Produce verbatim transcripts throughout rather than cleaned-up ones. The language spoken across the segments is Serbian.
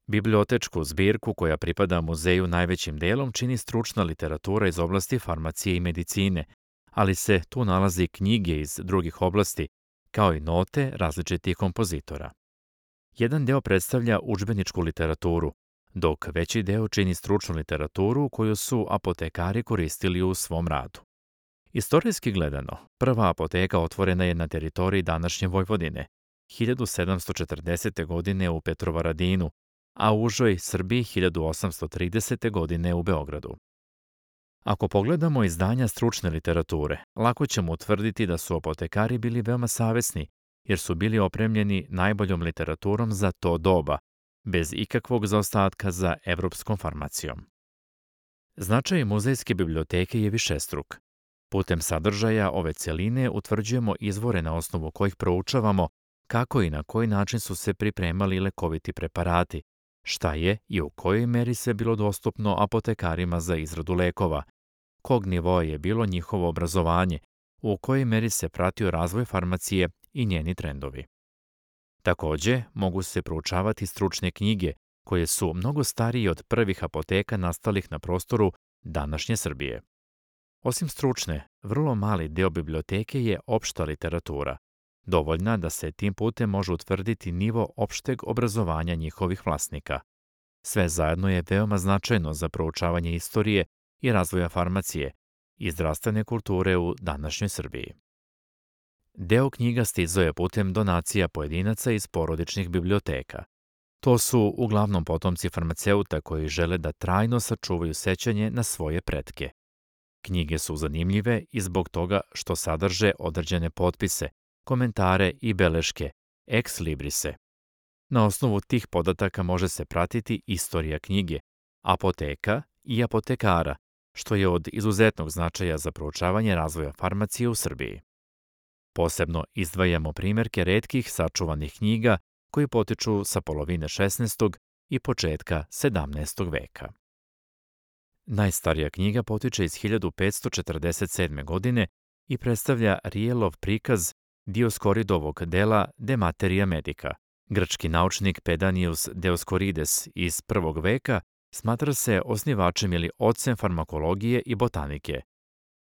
Bibliotečku zbirku koja pripada muzeju najvećim delom čini stručna literatura iz oblasti farmacije i medicine, ali se tu nalazi knjige iz drugih oblasti, kao i note različitih kompozitora. Jedan deo predstavlja udžbeničku literaturu, dok veći deo čini stručnu literaturu koju su apotekari koristili u svom radu. Istorijski gledano, prva apoteka otvorena je na teritoriji današnje Vojvodine, hiljadu sedamsto četrdesete. godine u Petrovaradinu, a u užoj Srbiji hiljadu osamsto tridesete. godine u Beogradu. Ako pogledamo izdanja stručne literature, lako ćemo utvrditi da su apotekari bili veoma savesni, jer su bili opremljeni najboljom literaturom za to doba, bez ikakvog zaostatka za evropskom farmacijom. Značaj muzejske biblioteke je višestruk. Putem sadržaja ove celine utvrđujemo izvore na osnovu kojih proučavamo kako i na koji način su se pripremali lekoviti preparati, šta je i u kojoj meri sve bilo dostupno apotekarima za izradu lekova, kog nivoa je bilo njihovo obrazovanje, u kojoj meri se pratio razvoj farmacije i njeni trendovi. Takođe, mogu se proučavati stručne knjige, koje su mnogo starije od prvih apoteka nastalih na prostoru današnje Srbije. Osim stručne, vrlo mali deo biblioteke je opšta literatura, dovoljna da se tim putem može utvrditi nivo opšteg obrazovanja njihovih vlasnika. Sve zajedno je veoma značajno za proučavanje istorije i razvoja farmacije i zdravstvene kulture u današnjoj Srbiji. Deo knjiga stizao je putem donacija pojedinaca iz porodičnih biblioteka. To su uglavnom potomci farmaceuta koji žele da trajno sačuvaju sećanje na svoje pretke. Knjige su zanimljive i zbog toga što sadrže određene potpise, komentare i beleške, ex librise. Na osnovu tih podataka može se pratiti istorija knjige, apoteka i apotekara, što je od izuzetnog značaja za proučavanje razvoja farmacije u Srbiji. Posebno izdvajamo primjerke retkih sačuvanih knjiga koji potiču sa polovine šesnaestog i početka sedamnaestog veka. Najstarija knjiga potiče iz hiljadu petsto četrdeset sedme. godine i predstavlja Rijelov prikaz Dioskoridovog dela De Materia Medica. Grčki naučnik Pedanius Dioskorides iz prvog veka smatra se osnivačem ili ocem farmakologije i botanike.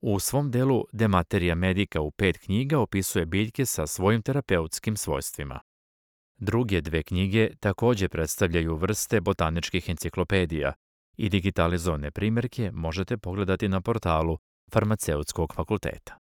U svom delu De Materia Medica u pet knjiga opisuje biljke sa svojim terapeutskim svojstvima. Druge dve knjige takođe predstavljaju vrste botaničkih enciklopedija i digitalizovane primjerke možete pogledati na portalu Farmaceutskog fakulteta.